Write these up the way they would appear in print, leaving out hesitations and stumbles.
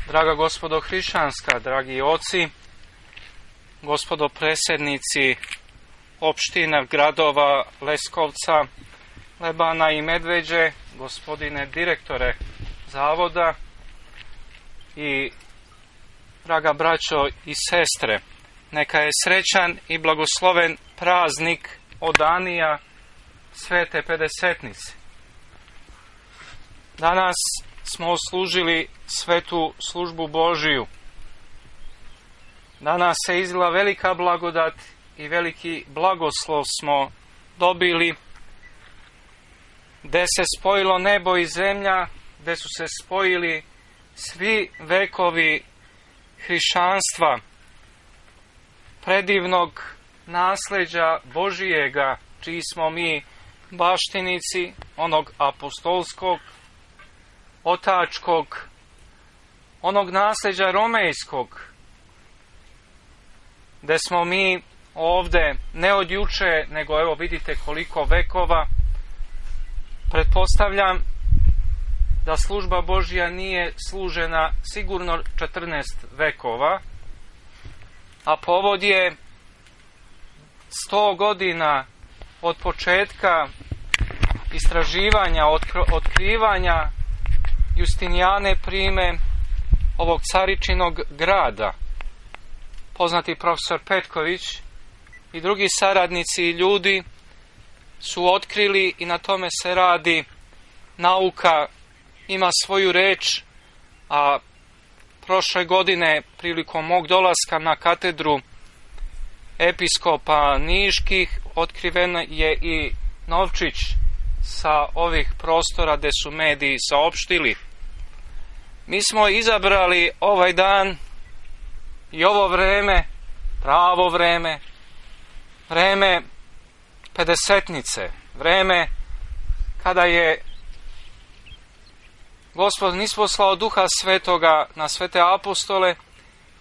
Draga gospodo hrišćanska, dragi oci, gospodo predsjednici opština, gradova Leskovca, Lebana i Medveđe, gospodine direktore zavoda i draga braćo i sestre, neka je srećan i blagosloven praznik odanija Svete Pedesetnice. Danas smo služili svetu službu Božiju. Danas se izlila velika blagodat i veliki blagoslov smo dobili, gde se spojilo nebo i zemlja, gde su se spojili svi vekovi hrišćanstva, predivnog nasleđa Božijega, čiji smo mi baštinici, onog apostolskog, otačkog, onog nasleđa romejskog, gde smo mi ovde ne od juče, nego evo vidite koliko vekova. Pretpostavljam da služba Božja nije služena sigurno 14 vekova, a povod je 100 godina od početka istraživanja, otkrivanja Justinijane Prime, ovog caričinog grada. Poznati profesor Petković i drugi saradnici i ljudi su otkrili, i na tome se radi, nauka ima svoju reč, a prošle godine prilikom mog dolaska na katedru episkopa Niških otkriven je i novčić sa ovih prostora gde su mediji saopštili. Mi smo izabrali ovaj dan i ovo vreme, pravo vreme, vreme Pedesetnice, vreme kada je Gospod nisposlao Duha Svetoga na svete apostole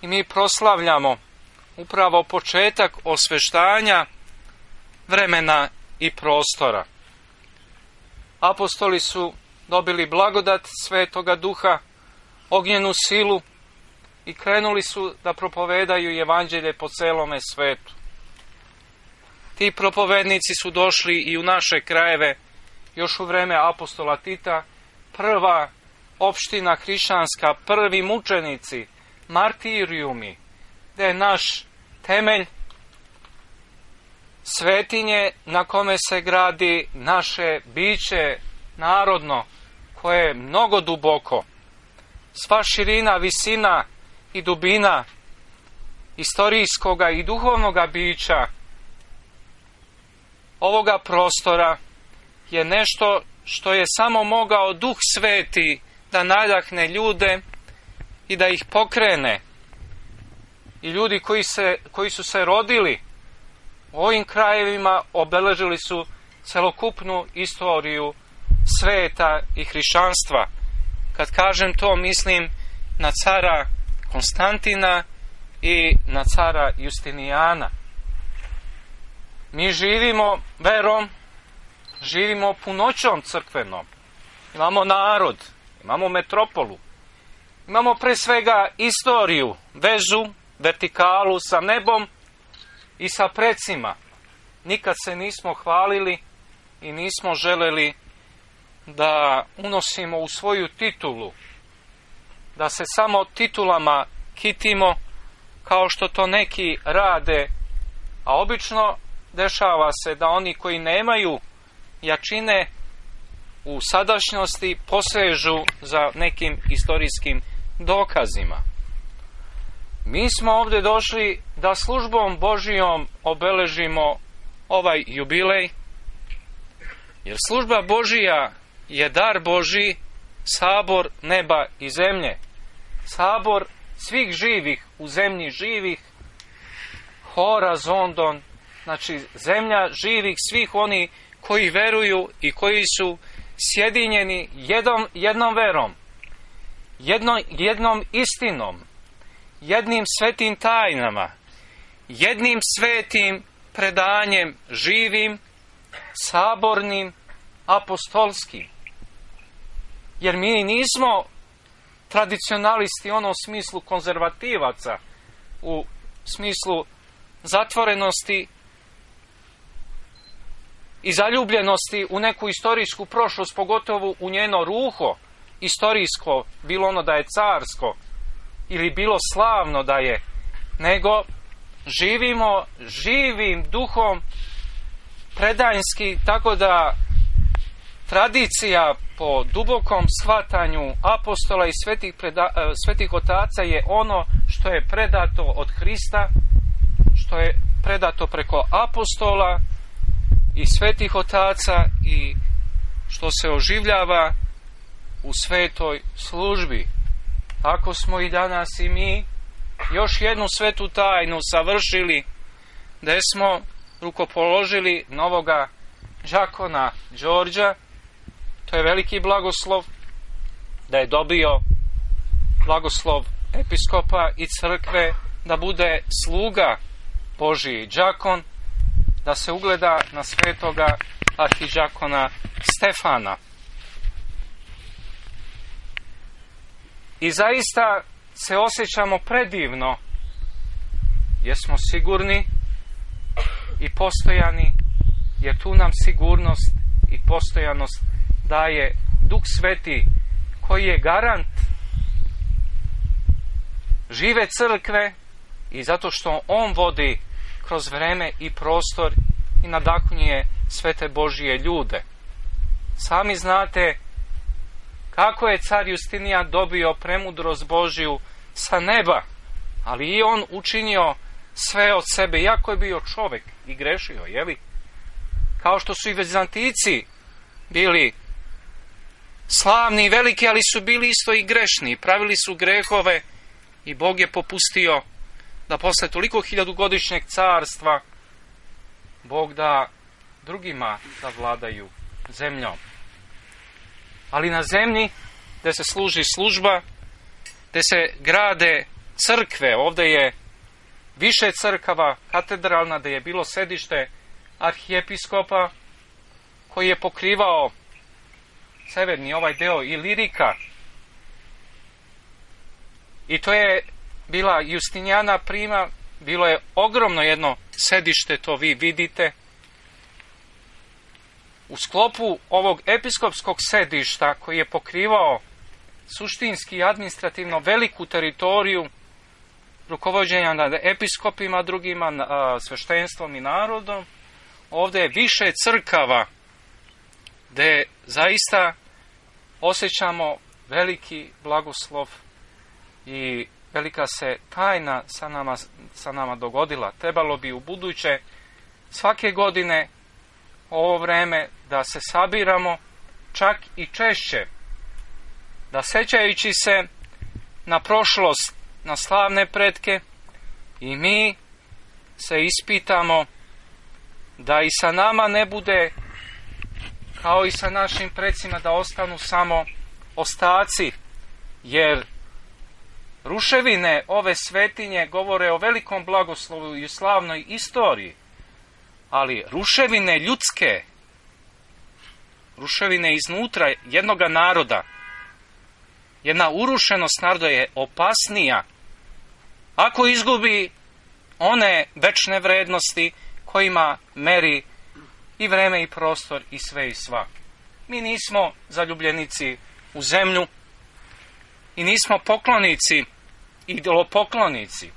i mi proslavljamo upravo početak osveštanja vremena i prostora. Apostoli su dobili blagodat Svetoga Duha, ognjenu silu i krenuli su da propovedaju evanđelje po celome svetu. Ti propovednici su došli i u naše krajeve još u vreme apostola Tita, prva opština hrišćanska, prvi mučenici, martirijumi, gde je naš temelj, svetinje na kome se gradi naše biće narodno, koje je mnogo duboko. Sva širina, visina i dubina istorijskoga i duhovnoga bića ovoga prostora je nešto što je samo mogao Duh Sveti da nadahne ljude i da ih pokrene. I ljudi koji su se rodili u ovim krajevima obeležili su celokupnu istoriju sveta i hrišćanstva. Kad kažem to, mislim na cara Konstantina i na cara Justinijana. Mi živimo verom, živimo punoćom crkvenom. Imamo narod, imamo metropolu, imamo pre svega istoriju, vezu, vertikalu sa nebom i sa precima. Nikad se nismo hvalili i nismo želeli da unosimo u svoju titulu, da se samo titulama kitimo kao što to neki rade, a obično dešava se da oni koji nemaju jačine u sadašnjosti posežu za nekim istorijskim dokazima. Mi smo ovdje došli da službom Božijom obeležimo ovaj jubilej, jer služba Božija je dar Božiji, sabor neba i zemlje, sabor svih živih u zemlji živih, hora zondon, znači zemlja živih, svih oni koji veruju i koji su sjedinjeni jednom verom, jednom istinom, jednim svetim tajnama, jednim svetim predanjem živim, sabornim, apostolskim. Jer mi nismo tradicionalisti, ono u smislu konzervativaca, u smislu zatvorenosti i zaljubljenosti u neku istorijsku prošlost, pogotovo u njeno ruho istorijsko, bilo ono da je carsko ili bilo slavno da je, nego živimo živim duhom predanjski, tako da tradicija po dubokom shvatanju apostola i svetih otaca je ono što je predato od Hrista, što je predato preko apostola i svetih otaca i što se oživljava u svetoj službi. Tako smo i danas i mi još jednu svetu tajnu savršili, gdje smo rukopoložili novoga đakona Đorđa. To je veliki blagoslov, da je dobio blagoslov episkopa i crkve, da bude sluga Božiji đakon, da se ugleda na svetoga arhidžakona Stefana. I zaista se osjećamo predivno, jer smo sigurni i postojani, jer tu nam sigurnost i postojanost daje Duh Sveti, koji je garant žive crkve, i zato što on vodi kroz vreme i prostor i nadahnjuje svete Božije ljude. Sami znate kako je car Justinijan dobio premudrost Božiju sa neba, ali i on učinio sve od sebe, iako je bio čovjek i grešio, jeli? Kao što su i Vizantijci bili slavni i veliki, ali su bili isto i grešni, pravili su grehove i Bog je popustio da posle toliko hiljadugodišnjeg carstva Bog da drugima da vladaju zemljom. Ali na zemlji gdje se služi služba, gdje se grade crkve, ovdje je više crkava, katedralna, gdje je bilo sedište arhijepiskopa, koji je pokrivao severni ovaj deo Ilirika. I to je bila Justinijana prima, bilo je ogromno jedno sedište, to vi vidite. U sklopu ovog episkopskog sedišta, koji je pokrivao suštinski i administrativno veliku teritoriju rukovođenja nad episkopima, drugima, sveštenstvom i narodom, ovdje je više crkava, gdje zaista osjećamo veliki blagoslov i velika se tajna sa nama dogodila. Trebalo bi u buduće svake godine ovo vreme da se sabiramo, čak i češće, da sećajući se na prošlost, na slavne pretke, i mi se ispitamo da i sa nama ne bude kao i sa našim precima, da ostanu samo ostaci, jer ruševine ove svetinje govore o velikom blagoslovu i slavnoj istoriji, ali ruševine ljudske, ruševine iznutra jednoga naroda, jedna urušenost naroda je opasnija ako izgubi one večne vrednosti kojima meri i vreme i prostor i sve i sva. Mi nismo zaljubljenici u zemlju i nismo poklonici, idolopoklonici.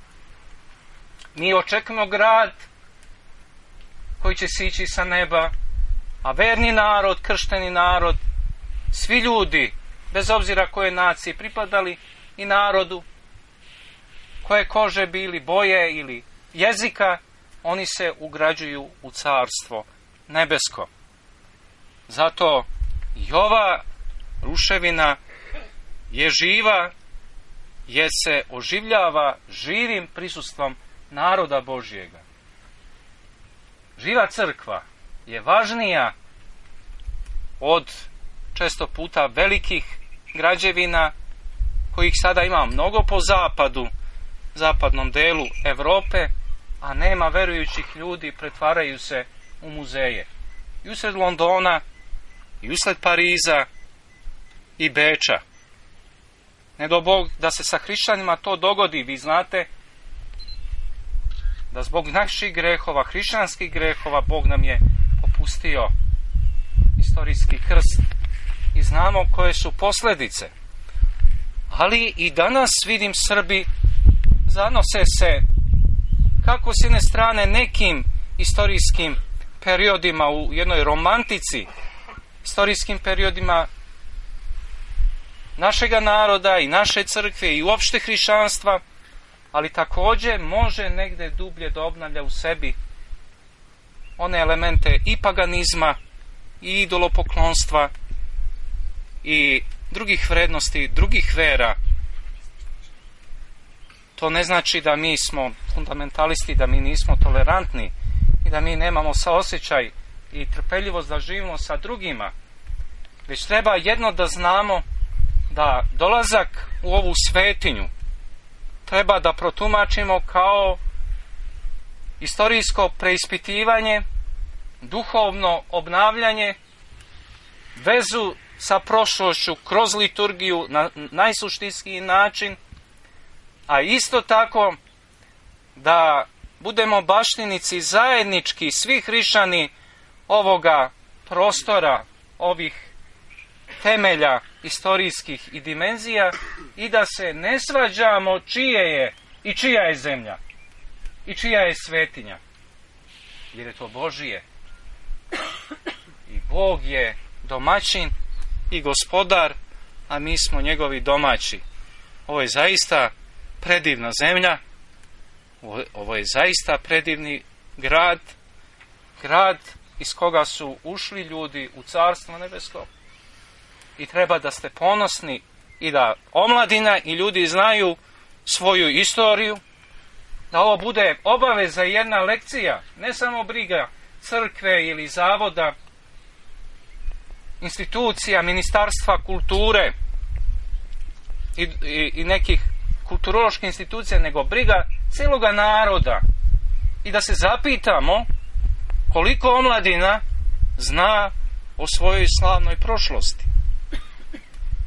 Mi očekujemo grad koji će sići sa neba, a verni narod, kršteni narod, svi ljudi, bez obzira koje naciji pripadali i narodu, koje kože bili, boje ili jezika, oni se ugrađuju u carstvo nebesko. Zato i ova ruševina je živa, jer se oživljava živim prisustvom naroda Božjega. Živa crkva je važnija od često puta velikih građevina, kojih sada ima mnogo po zapadnom delu Europe, a nema verujućih ljudi, pretvaraju se u muzeje. I usred Londona, i usred Pariza i Beča. Ne do Bog da se sa hrišćanima to dogodi. Vi znate da zbog naših grehova, hrišćanskih grehova, Bog nam je popustio istorijski krst i znamo koje su posljedice. Ali i danas vidim Srbi zanose se kako s jedne strane nekim istorijskim periodima u jednoj romantici, istorijskim periodima našega naroda i naše crkve i uopšte hrišćanstva, ali također može negdje dublje da obnavlja u sebi one elemente i paganizma i idolopoklonstva i drugih vrednosti, drugih vera. To ne znači da mi smo fundamentalisti, da mi nismo tolerantni i da mi nemamo saosjećaj i trpeljivost da živimo sa drugima. Već treba jedno da znamo, da dolazak u ovu svetinju treba da protumačimo kao istorijsko preispitivanje, duhovno obnavljanje, vezu sa prošlošću kroz liturgiju na najsuštinskiji način, a isto tako da budemo baštinici zajednički svi hrišćani ovoga prostora, ovih temelja istorijskih i dimenzija, i da se ne svađamo čije je i čija je zemlja i čija je svetinja, jer je to Božije i Bog je domaćin i gospodar, a mi smo njegovi domaći. Ovo je zaista predivna zemlja, ovo je zaista predivni grad iz koga su ušli ljudi u Carstvo nebesko, i treba da ste ponosni i da omladina i ljudi znaju svoju istoriju, da ovo bude obaveza i jedna lekcija, ne samo briga crkve ili zavoda, institucija, ministarstva kulture i nekih kulturoloških institucija, nego briga cijeloga naroda, i da se zapitamo koliko omladina zna o svojoj slavnoj prošlosti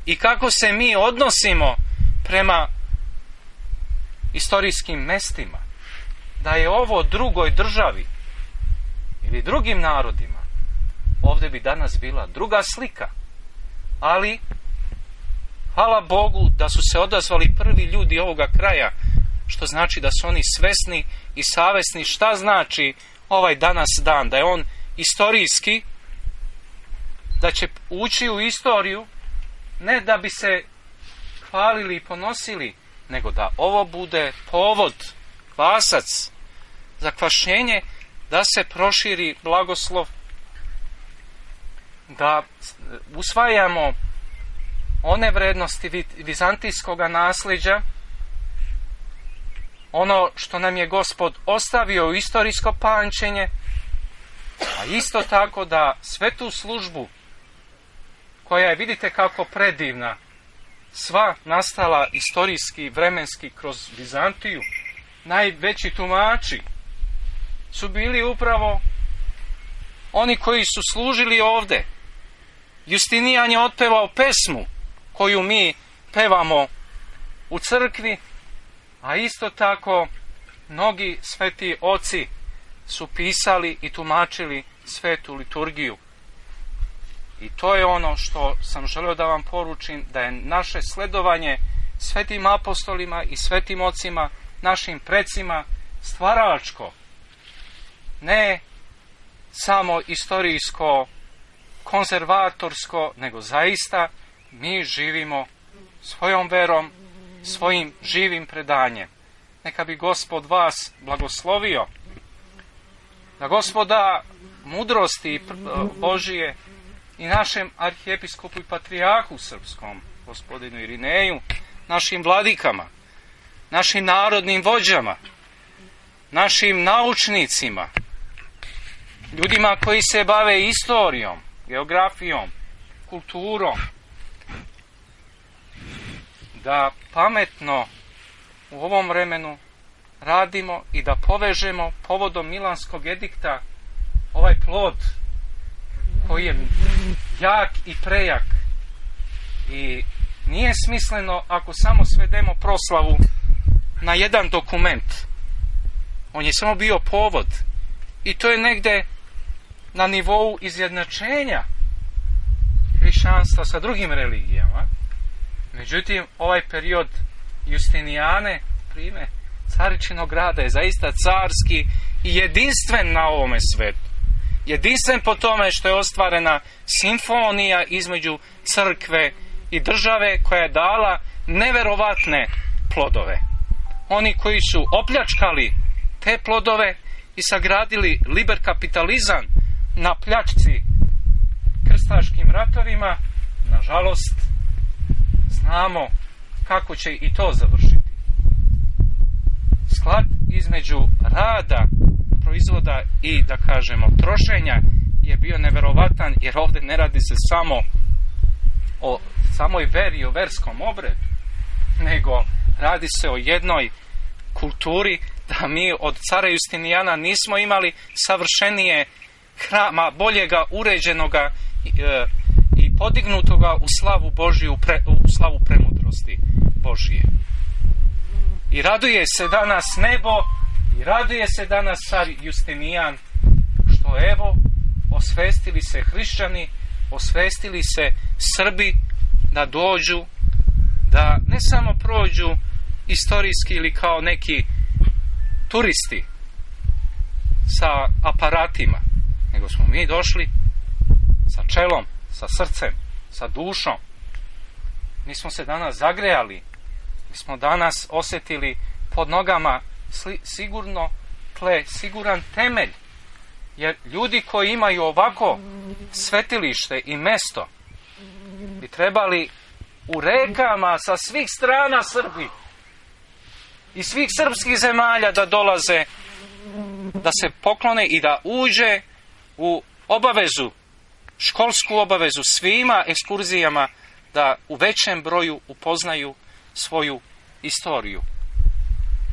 i kako se mi odnosimo prema istorijskim mestima. Da je ovo drugoj državi ili drugim narodima, ovdje bi danas bila druga slika. Ali hvala Bogu da su se odazvali prvi ljudi ovoga kraja, što znači da su oni svesni i savesni šta znači ovaj danas dan, da je on istorijski, da će ući u istoriju, ne da bi se hvalili i ponosili, nego da ovo bude povod, kvasac za kvašenje, da se proširi blagoslov, da usvajamo one vrednosti vizantijskog nasljeđa, ono što nam je Gospod ostavio u istorijsko pamćenje, a isto tako da svetu službu, koja je, vidite kako predivna, sva nastala istorijski, vremenski kroz Vizantiju, najveći tumači su bili upravo oni koji su služili ovdje. Justinijan je otpevao pesmu koju mi pevamo u crkvi, a isto tako mnogi sveti oci su pisali i tumačili svetu liturgiju. I to je ono što sam želio da vam poručim, da je naše sledovanje svetim apostolima i svetim ocima, našim precima, stvaračko, ne samo istorijsko, konzervatorsko, nego zaista mi živimo svojom verom, svojim živim predanjem. Neka bi Gospod vas blagoslovio, da Gospoda mudrosti Božije i našem arhijepiskopu i patrijarhu srpskom, gospodinu Irineju, našim vladikama, našim narodnim vođama, našim naučnicima, ljudima koji se bave istorijom, geografijom, kulturom, da pametno u ovom vremenu radimo i da povežemo povodom Milanskog edikta ovaj plod koji je jak i prejak i nije smisleno ako samo svedemo proslavu na jedan dokument. On je samo bio povod. I to je negde na nivou izjednačenja hrišćanstva sa drugim religijama. Međutim, ovaj period Justinijane, prime caričinog rada, je zaista carski i jedinstven na ovome svetu. Jedinstven po tome što je ostvarena simfonija između crkve i države koja je dala neverovatne plodove. Oni koji su opljačkali te plodove i sagradili liber kapitalizam na pljačci krstaškim ratovima, nažalost, znamo kako će i to završiti. Sklad između rada, proizvoda i, da kažemo, trošenja je bio neverovatan, jer ovdje ne radi se samo o samoj veri i o verskom obredu, nego radi se o jednoj kulturi da mi od cara Justinijana nismo imali savršenije hrama, boljega uređenoga i podignutoga u slavu Božiju, u slavu premudrosti Božije. I raduje se danas nebo i raduje se danas car Justinijan što evo osvestili se hrišćani, osvestili se Srbi da dođu, da ne samo prođu istorijski ili kao neki turisti sa aparatima, nego smo mi došli sa čelom, sa srcem, sa dušom. Mi smo se danas zagrejali, mi smo danas osjetili pod nogama sigurno tle, siguran temelj. Jer ljudi koji imaju ovako svetilište i mesto bi trebali u rekama sa svih strana Srbi i svih srpskih zemalja da dolaze, da se poklone i da uđe u obavezu, školsku obavezu svima ekskurzijama, da u većem broju upoznaju svoju istoriju.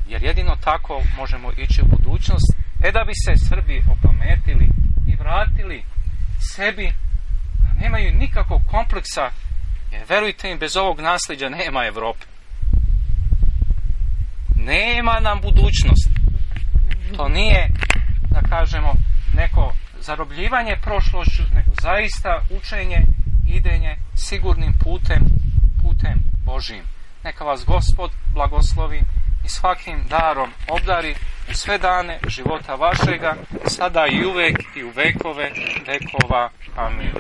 Jer jedino tako možemo ići u budućnost, da bi se Srbi opametili i vratili sebi, nemaju nikakvog kompleksa, jer verujte im, bez ovog nasljeđa nema Evrope. Nema nam budućnost. To nije, da kažemo, neko zarobljivanje prošlošću, nego zaista učenje, idenje sigurnim putem Božijim. Neka vas Gospod blagoslovi i svakim darom obdari u sve dane života vašega, sada i uvek i u vekove vekova. Amin.